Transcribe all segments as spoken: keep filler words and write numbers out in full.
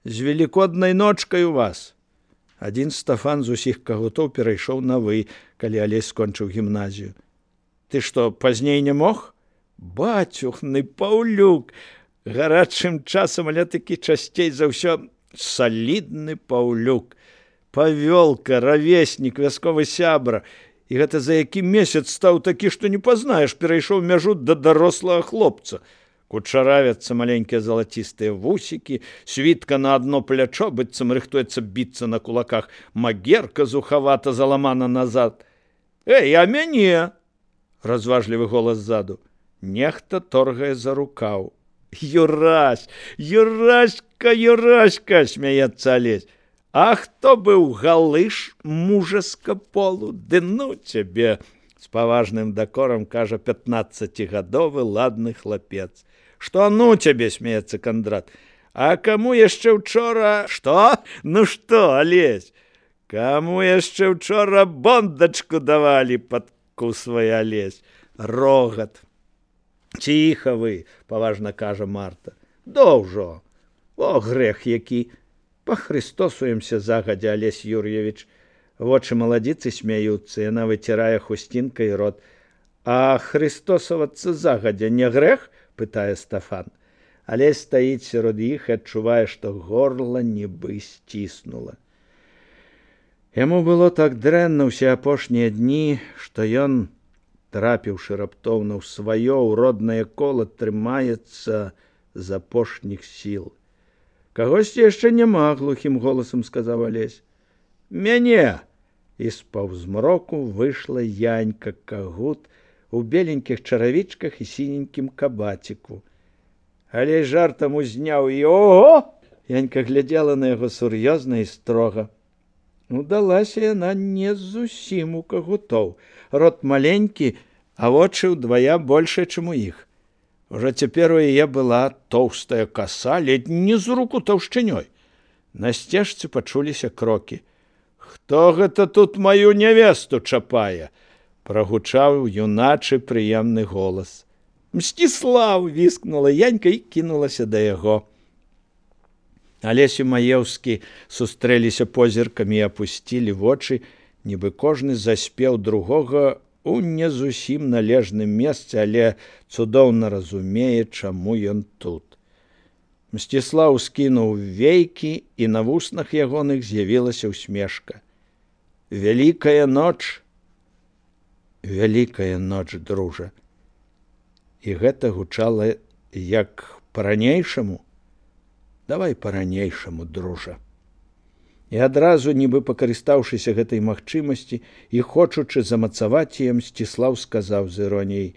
З велікоднай ночкай у вас. Адзін Стафан з усіх кагутоў перайшоў на вы, калі Алесь скончыў гімназію. Ты што, пазней не мог? Бацюхны Паўлюк, гарачым часам, але такі часцей за ўсё салідны Паўлюк. Павёлка, равеснік, вясковы сябра. І гэта за які месяц стаў такі, што не пазнаеш, перайшоў мяжу да дарослага хлопца. Кучаравяцца маленькія залацістыя вусікі, світка на адно плячо, быццам рыхтуецца біцца на кулаках, магерка зухавата заламана назад. Эй, а мяне? Разважлівы голас ззаду. Нехта торгае за рукаў. Юрась, Юраська, Юраська, смяецца Алесь. А хто быў галыш мужаска полу? Ды ну цябе, з паважным дакорам кажа пятнаццацігадовы ладны хлапец. Што ну цябе, смеецца Кандрат. А каму яшчэ учора... Што? Ну што, Алесь? Каму яшчэ учора бондачку давалі, падкусвае Алесь. Рогат. Ціха вы, паважна кажа Марта. Доўжо. О, грэх які. Пахрыстосуемся загадзя, Алесь Юр'евіч. Вочы маладзіцы смяюцца, яна выцірае хусцінкай рот. А хрыстосавацца загадзя не грэх? Пытае Стафан. Алесь стаіць сярод іх і адчувае, што горла нібы сціснула. Яму было так дрэнна ўсе апошнія дні, што ён, трапіўшы раптоўна ў сваё ў роднае кола, трымаецца з апошніх сіл. Кагосьці яшчэ няма, глухім голасам сказаў Алесь. Мяне! І з паўзмроку выйшла Янька Кагут у беленькіх чаравічках і сіненькім кабаціку. Але жартам узняў і ого! Янька глядзела на яго сур'ёзна і строга. Удалася яна не зусім у Кагутоў. Рот маленькі, а вочы ўдвая большыя, чым у іх. Ужо цяпер у яе была тоўстая каса, ледзь не з руку таўшчынёй. На сцежцы пачуліся крокі. Хто гэта тут маю нявесту чапае? Прагучаў юначы прыемны голас. Мсціслаў! Віскнула Янька і кінулася да яго. Алесь і Маеўскі сустрэліся позіркамі і апусцілі вочы, нібы кожны заспеў другога у не зусім належным месцы, але цудоўна разумее, чаму ён тут. Мсціслаў скінуў вейкі, і на вуснах ягоных з'явілася ўсмешка. Вялікая ноч, вялікая ноч, дружа. І гэта гучала як па-ранейшаму. Давай па-ранейшаму, дружа. І адразу, нібы пакарыстаўшыся гэтай магчымасці і хочучы замацаваць яе, Мсціслаў сказаў з іроніяй: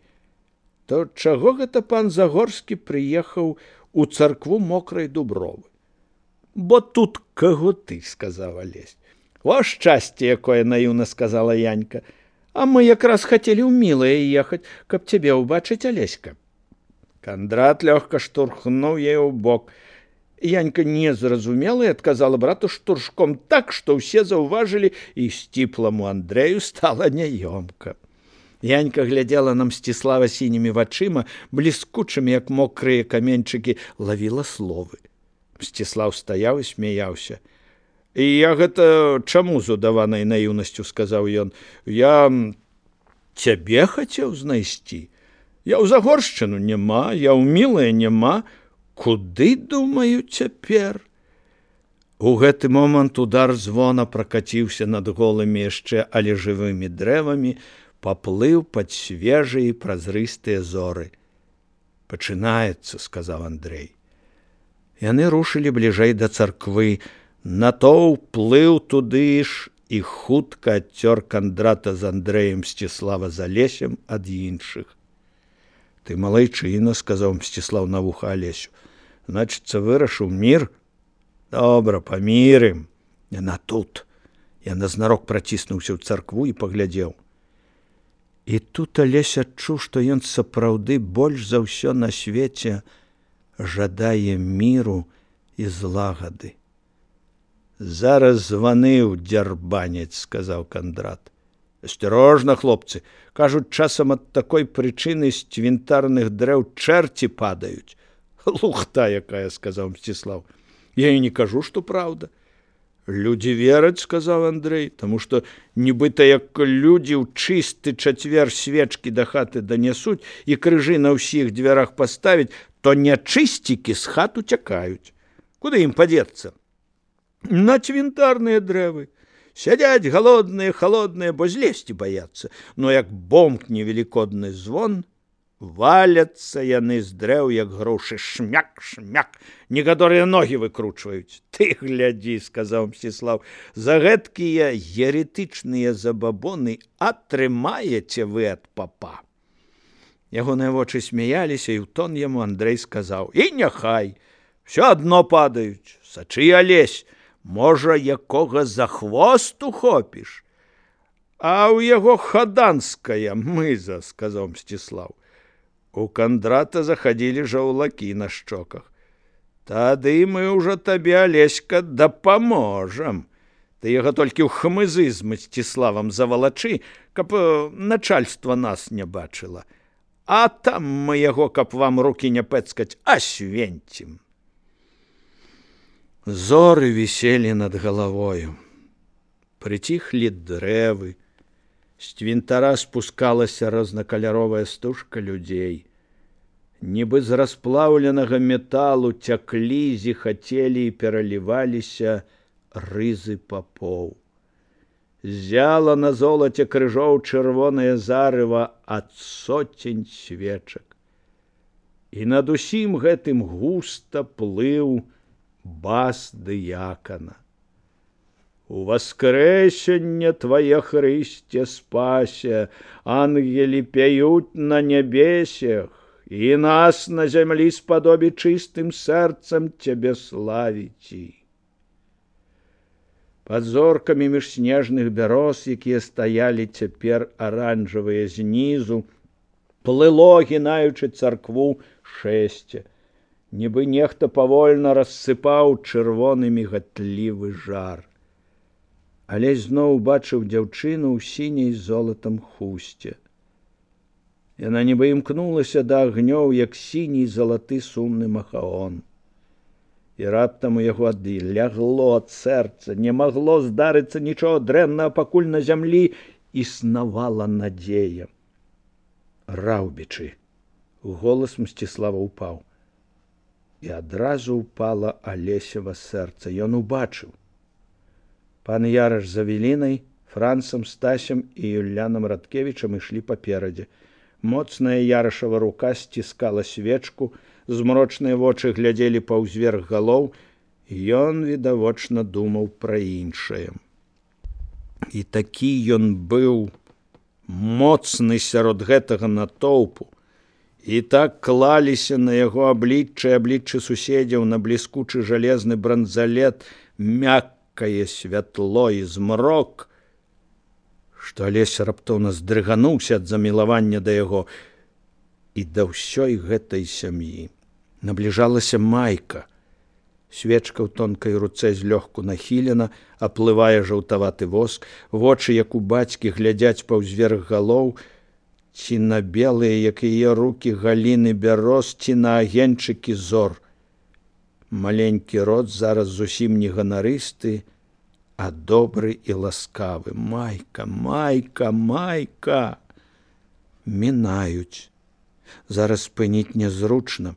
то чаго гэта пан Загорскі прыехаў у царкву Мокрай Дубровы? Бо тут кагуты, сказаў Алесь. О, шчасце, якое наіўна сказала Янька. А мы якраз хацелі ў мілае ехаць, каб цябе ўбачыць, Алеська. Кандрат лёгка штурхнуў яе ў бок. Янька не зразумела і адказала брату штуршком так, што ўсе заўважылі, і сціпламу Андрэю стала няёмка. Янька глядзела на Мсціслава сінімі вачыма, бліскучымі, як мокрыя каменьчыкі, лавіла словы. Мсціслаў стаяў і смяяўся. І я гэта чаму з удаванай наіўнасцю, сказаў ён. Я цябе хацеў знайсці. Я ў Загоршчыну няма, я ў мілае няма. Куды, думаю, цяпер? У гэты момант удар звона пракаціўся над голымі яшчэ, але жывымі дрэвамі, паплыў пад свежыя і празрыстыя зоры. Пачынаецца, сказаў Андрэй. Яны рушылі бліжэй да царквы. Натоўп плыў туды ж і хутка адцёр Кандрата з Андрэем, Мсціслава з Алесем ад іншых. Ты малайчына, сказаў Мсціслаў на вуха Алесю. Значыцца, вырашыў мір? Добра, памірым. Яна тут. Яна знарок праціснуўся ў царкву і паглядзеў. І тут Алесь адчуў, што ён сапраўды больш за ўсё на свеце жадае міру і злагады. Зараз званыў дзярбанец, сказаў Кандрат. Асцярожна, хлопцы, кажуць, часам ад такой прычыны з цвінтарных дрэў чэрці падаюць. Лухта якая, сказаў Мсціслаў. Я і не кажу, што праўда. Людзі вераць, сказаў Андрэй, таму што нібыта як людзі ў чысты чацвер свечкі да хаты данясуць і крыжы на ўсіх дзвярах паставіць, то нячысцікі з хат уцякаюць. Куды ім падзецца? На цвінтарныя дрэвы. Сядзяць галодныя, халодныя, бо злезці баяцца. Но як бомкне велікодны звон, валяцца яны з дрэў, як грушы, шмяк, шмяк, некаторыя ногі выкручваюць. Ты глядзі, сказаў Мсціслаў, за гэткія еретычныя забабоны атрымаеце вы ад папа. Ягоныя вочы смяяліся, і ў тон яму Андрэй сказаў: і няхай, все адно падаюць, сачы, Алесь, можа, якога за хвост ухопіш. А ў яго хаданская мыза, сказаў Мсціслаў. У Кандрата заходили жаўлакі на шчоках. Тады мы ўжо табе, Алеська, дапаможам. Ты яго толькі ў хмызы з Мсціславам завалачы, каб начальства нас не бачыла. А там мы яго, каб вам рукі не пэцкаць, асвенцім. Зоры віселі над галавою. Прыціхлі дрэвы. З цвінтара спускалася рознакаляровая стужка людзей. Нібы з расплаўленага металу цяклі, зіхацелі і пераліваліся рызы папоў. Зяла на золаце крыжоў чырвонае зарыва ад соцень свечак. І над усім гэтым густа плыў бас дыякана. У воскресенье Твое, Христе, спася, ангели пяют на небесях, и нас на земли сподоби чистым сердцем Тебе славить. Под зорками меж снежных бяроз, якія стаялі цяпер аранжавыя знізу, плыло, гінаючы царкву, шэсце. Нібы нехта павольна рассыпаў чырвоны мігатлівы жар. Алесь зноў убачыў дзяўчыну ў сіняй золатам хусце. Яна нібы імкнулася да агнёў, як сіні залаты сумны махаон. І раптам у яго адлягло ад сэрца, не магло здарыцца нічого дрэннага, пакуль на зямлі існавала надзея. Раўбічы. Голас Мсціслава упаў. І адразу упала Алесева сэрца. Ён убачыў. Пан Яраш з Авелінай, Францам, Стасем і Юлянам Радкевічам ішлі паперадзе. Моцная Ярашава рука сціскала свечку, змрочныя вочы глядзелі паўзверх галоў, і ён, відавочна, думаў пра іншае. І такі ён быў моцны сярод гэтага натоўпу, і так клаліся на яго аблічча і абліччы суседзяў, на бліскучы жалезны бранзалет, мяккае святло і змрок, што Алесь раптоўна здрыгануўся ад замілавання да яго і да ўсёй гэтай сям'і. Набліжалася майка. Свечка ў тонкай руцэ злёгку нахілена, аплывае жаўтаваты воск, вочы, як у бацькі, глядзяць паўзверх галоў, ці на белыя, як яе рукі, галіны бяроз, ці на агеньчыкі зор. Маленькі рот зараз зусім не ганарысты, а добры і ласкавы. Майка, майка, майка. Мінаюць. Зараз спыніць нязручна.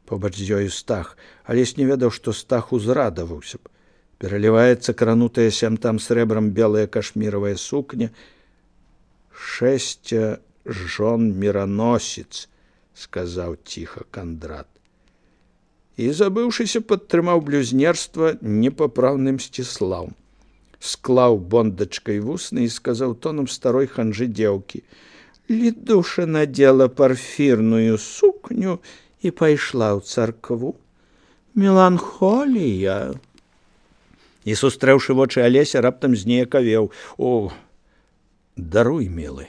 Побач з ёю Стах. Алесь не ведаў, што Стах узрадаваўся б. Пераліваецца кранутая сям-там срэбрам белая кашміравая сукня. Шэсця жон мираносец, сказаў ціха Кандрат. І, забыўшыся, падтрымаў блюзнерства непапраўным Мсціслаў. Склаў бондачкай вусны і сказаў тоном старой ханжы дзеўкі: Лідуша надела парфірную сукню і пайшла ў царкву. Меланхолія. І, сустрэўшы вочы Алеся, раптам зніякавеў. О, даруй, мілы.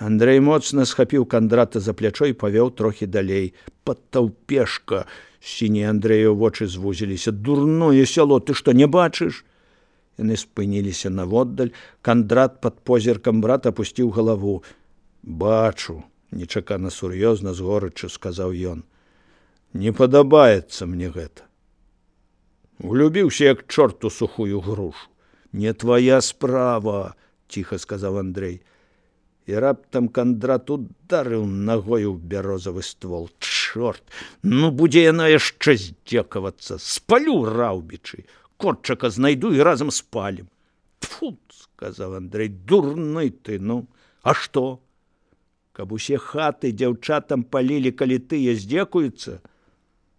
Андрэй моцна схапіў Кандрата за плячо і павёў трохі далей. Падтаўпешка. Сінія Андрэю вочы звузіліся. Дурное сяло, ты што, не бачыш? Яны спыніліся наводдаль. Кандрат пад позіркам брата апусціў галаву. Бачу, нечакана сур'ёзна з горыччу сказаў ён. Не падабаецца мне гэта. Углюбіўся, як чорт у сухую грушу. Не твоя справа, ціха сказаў Андрэй. І раптам Кандрат ударыў нагою ў бярозавы ствол. Чорт, ну будзе яна яшчэ здзекавацца. Спалю раўбічы. Котчака знайду і разам спалім. Тфу, сказаў Андрэй, дурны ты, ну, а што? Каб усе хаты дзяўчатам палілі, калі тыя здзекуюцца?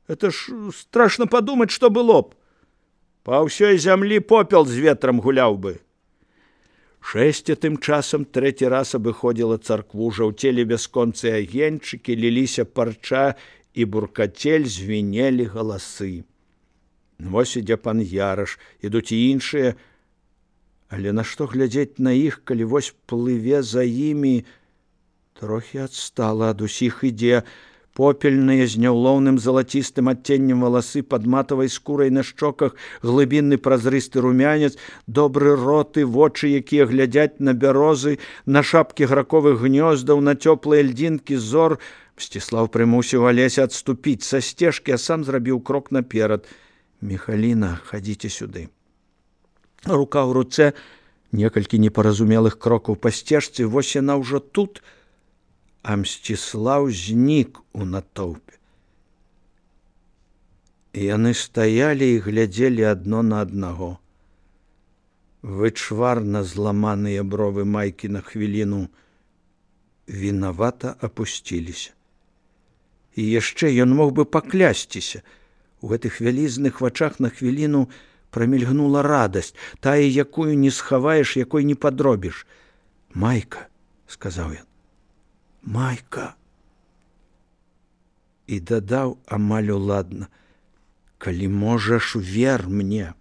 Это ж страшна падумаць, што было б. Па ўсёй зямлі попел з ветрам гуляў бы. Шэсця тым часам трэці раз абыходзіла царкву, жаўцелі бясконцыя агеньчыкі, ліліся парча і буркацель, звінелі галасы. Вось ідзе пан Яраш, ідуць і іншыя, але нашто глядзець на іх, калі вось плыве за імі, трохі адстала ад усіх ідзе, попельныя з няўлоўным залацістым адценнем валасы, пад матавай скурай на шчоках глыбінны празрысты румянец, добры рот і вочы, якія глядзяць на бярозы, на шапкі граковых гнёздаў, на цёплыя льдзінкі зор. Мсціслаў прымусіў Алеся адступіць са сцежкі, а сам зрабіў крок наперад. Міхаліна, хадзіце сюды. Рука ў руцэ, некалькі непаразумелых крокаў па сцежцы, вось яна ўжо тут, а Мсціслаў знік у натоўпе. І яны стаялі і глядзелі адно на аднаго. Вычварна зламаныя бровы майкі на хвіліну вінавата апусціліся. І яшчэ ён мог бы паклясціся. У гэтых вялізных вачах на хвіліну прамільгнула радасць, тая, якую не схаваеш, якой не падробіш. «Майка», – сказаў ён, – «Майка». І дадаў амаль уладна: «Калі можаш, вер мне».